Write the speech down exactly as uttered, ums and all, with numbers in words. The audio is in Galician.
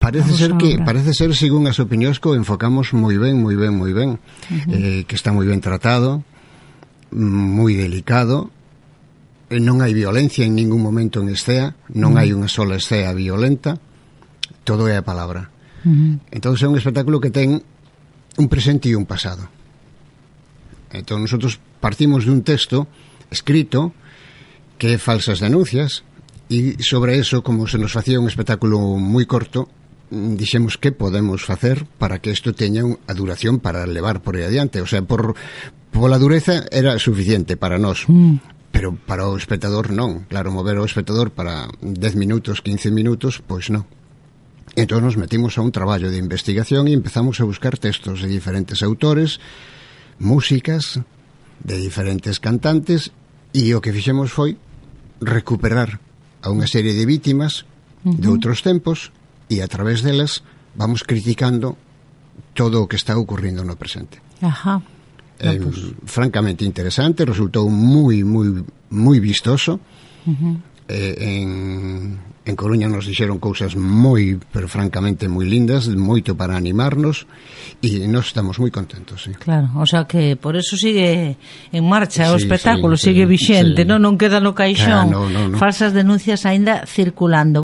Parece ser que, parece ser, según as opinións, que o enfocamos moi ben, moi ben, moi ben. Uh-huh. Eh, que está moi ben tratado, moi delicado, non hai violencia en ningún momento en escena, non uh-huh. hai unha sola escena violenta, todo é a palabra. Uh-huh. Entón é un espectáculo que ten un presente e un pasado. Entón nosotros partimos dun texto escrito que é Falsas denuncias, e sobre eso, como se nos facía un espectáculo moi corto, dixemos que podemos facer para que isto teña a duración para levar por aí adiante. O sea, por pola dureza era suficiente para nós, mm. pero para o espectador non. Claro, mover o espectador para dez minutos, quince minutos, pois non. Entón nos metimos a un traballo de investigación e empezamos a buscar textos de diferentes autores, músicas de diferentes cantantes, e o que fixemos foi recuperar a unha serie de vítimas uh-huh. de outros tempos, e a través delas vamos criticando todo o que está ocurrindo no presente. Ajá. Eh, no, pues... francamente interesante, resultou moi, moi, moi vistoso. Uh-huh. Eh, en, en Coruña nos dixeron cousas moi, pero francamente moi lindas, moito para animarnos, e nós estamos moi contentos, sí. Claro, o sea que por eso sigue en marcha sí, o espectáculo, sí, sigue sí, vixente, sí. non non queda no caixón. Ah, no, no, no. Falsas denuncias aínda circulando.